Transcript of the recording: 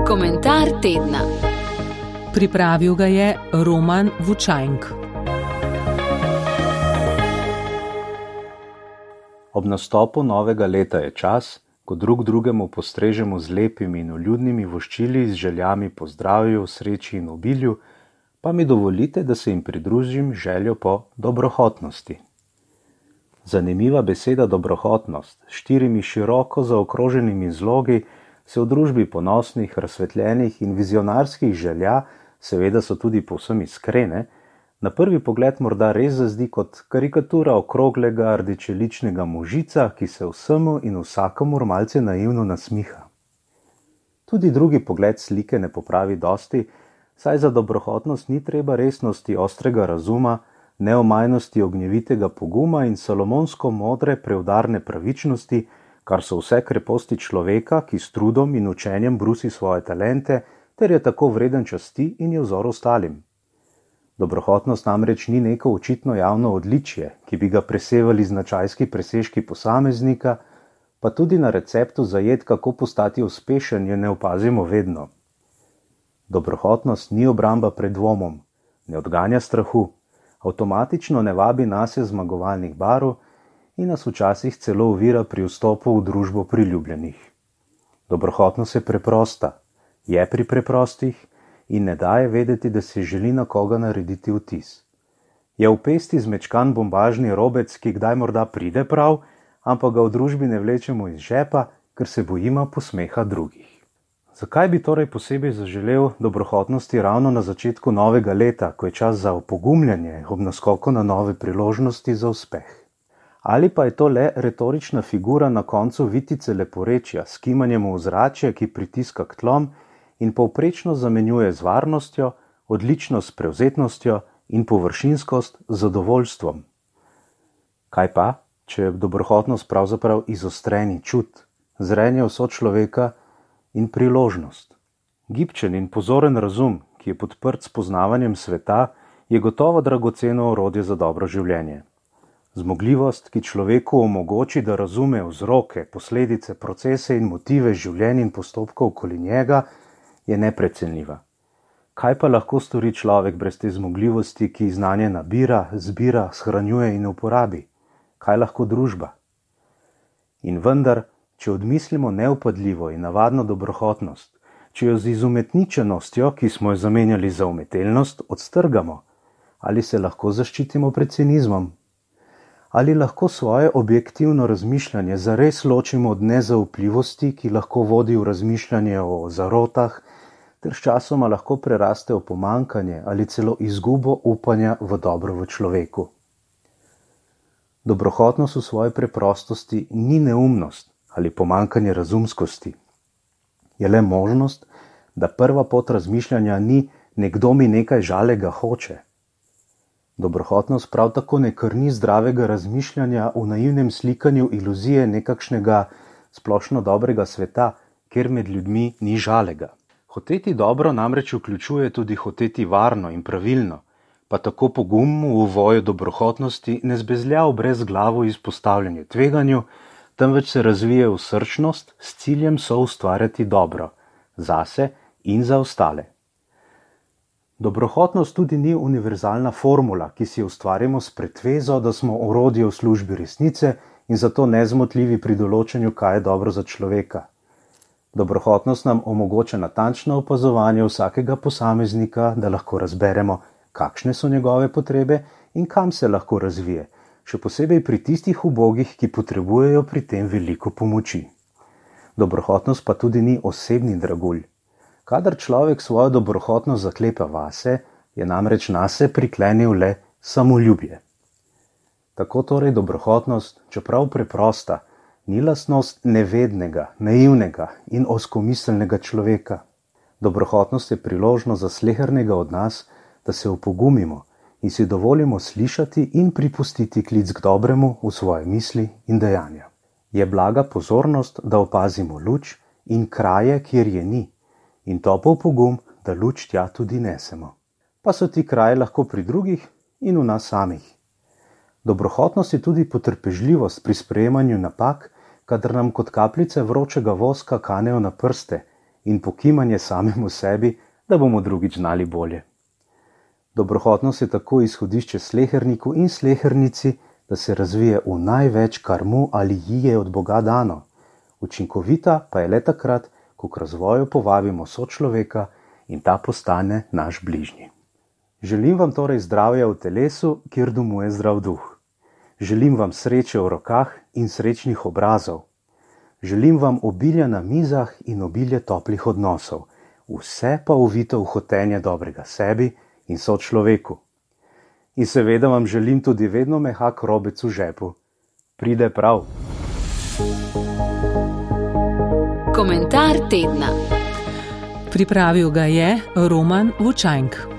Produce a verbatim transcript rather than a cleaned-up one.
Komentar tedna. Pripravil ga je Roman Vučajnk. Ob nastopu novega leta je čas, ko drug drugemu postrežemo z lepimi in vljudnimi voščili z željami po zdravju, sreči in obilju, pa mi dovolite, da se jim pridružim željo po dobrohotnosti. Zanimiva beseda dobrohotnost, s štirimi široko zaokroženimi zlogi, se v družbi ponosnih, razsvetljenih in vizionarskih želja, seveda so tudi povsem iskrene, na prvi pogled morda res zazdi kot karikatura okroglega rdečeličnega možica, ki se vsemu in vsakomur malce naivno nasmiha. Tudi drugi pogled slike ne popravi dosti, saj za dobrohotnost ni treba resnosti ostrega razuma, neomajnosti ognjevitega poguma in salomonsko modre preudarne pravičnosti, kar so vse kreposti človeka, ki s trudom in učenjem brusi svoje talente, ter je tako vreden časti in je vzor ostalim. Dobrohotnost namreč ni neko očitno javno odličje, ki bi ga presevali značajski presežki posameznika, pa tudi na receptu za jed, kako postati uspešen, je ne opazimo vedno. Dobrohotnost ni obramba pred dvomom, ne odganja strahu, avtomatično ne vabi nase zmagovalnih barv in nas včasih celo ovira pri vstopu v družbo priljubljenih. Dobrohotnost je preprosta, je pri preprostih in ne daje vedeti, da se želi na koga narediti vtis. Je v pesti zmečkan bombažni robec, ki kdaj morda pride prav, ampak ga v družbi ne vlečemo iz žepa, ker se bojimo posmeha drugih. Zakaj bi torej posebej zaželel dobrohotnosti ravno na začetku novega leta, ko je čas za opogumljanje ob naskoku na nove priložnosti za uspeh? Ali pa je to le retorična figura na koncu vitice leporečja s kimanjem v ozračje, ki pritiska k tlom in povprečno zamenjuje z varnostjo, odličnost s prevzetnostjo in površinskost z zadovoljstvom? Kaj pa, če je dobrohotnost pravzaprav izostreni čut, zrenje vso človeka in priložnost? Gibčen in pozoren razum, ki je podprt s poznavanjem sveta, je gotovo dragoceno orodje za dobro življenje. Zmogljivost, ki človeku omogoči, da razume vzroke, posledice, procese in motive življenj in postopkov okoli njega, je neprecenljiva. Kaj pa lahko stori človek brez te zmogljivosti, ki znanje nabira, zbira, shranjuje in uporabi? Kaj lahko družba? In vendar, če odmislimo neupadljivo in navadno dobrohotnost, če jo z izumetničenostjo, ki smo jo zamenjali za umetelnost, odstrgamo, ali se lahko zaščitimo pred cinizmom? Ali lahko svoje objektivno razmišljanje zares ločimo od nezaupljivosti, ki lahko vodi v razmišljanje o zarotah, ter sčasoma lahko preraste v pomanjkanje ali celo izgubo upanja v dobro v človeku? Dobrohotnost v svoji preprostosti ni neumnost ali pomanjkanje razumskosti. Je le možnost, da prva pot razmišljanja ni nekdo mi nekaj žalega hoče. Dobrohotnost prav tako ne krni zdravega razmišljanja v naivnem slikanju iluzije nekakšnega splošno dobrega sveta, kjer med ljudmi ni žalega. Hoteti dobro namreč vključuje tudi hoteti varno in pravilno, pa tako pogum v voju dobrohotnosti ne zbezlja v brezglavo izpostavljanje tveganju, temveč se razvije v srčnost s ciljem soustvarjati dobro, zase in za ostale. Dobrohotnost tudi ni univerzalna formula, ki si jo ustvarimo s pretvezo, da smo orodje v službi resnice in zato nezmotljivi pri določanju, kaj je dobro za človeka. Dobrohotnost nam omogoča natančno opazovanje vsakega posameznika, da lahko razberemo, kakšne so njegove potrebe in kam se lahko razvije, še posebej pri tistih ubogih, ki potrebujejo pri tem veliko pomoči. Dobrohotnost pa tudi ni osebni dragulj. Kadar človek svojo dobrohotnost zaklepa vase, je namreč nase priklenil le samoljubje. Tako torej dobrohotnost, čeprav preprosta, ni lastnost nevednega, naivnega in ozkomiselnega človeka. Dobrohotnost je priložnost za slehernega od nas, da se opogumimo in si dovolimo slišati in pripustiti klic k dobremu v svoje misli in dejanja. Je blaga pozornost, da opazimo luč in kraje, kjer je ni, in topel pogum, da luč tja tudi nesemo. Pa so ti kraji lahko pri drugih in v nas samih. Dobrohotnost je tudi potrpežljivost pri sprejemanju napak, kadar nam kot kapljice vročega voska kanejo na prste in pokimanje samemu sebi, da bomo drugič znali bolje. Dobrohotnost je tako izhodišče sleherniku in slehernici, da se razvije v največ, kar mu ali ji je od Boga dano. Učinkovita pa je le takrat, ko k razvoju povabimo sočloveka in ta postane naš bližnji. Želim vam torej zdravja v telesu, kjer domuje zdrav duh. Želim vam sreče v rokah in srečnih obrazov. Želim vam obilja na mizah in obilje toplih odnosov, vse pa uvito v hotenje dobrega sebi in sočloveku. In seveda vam želim tudi vedno mehak robec v žepu. Pride prav. Komentar tedna. Pripravil ga je Roman Vučajnk.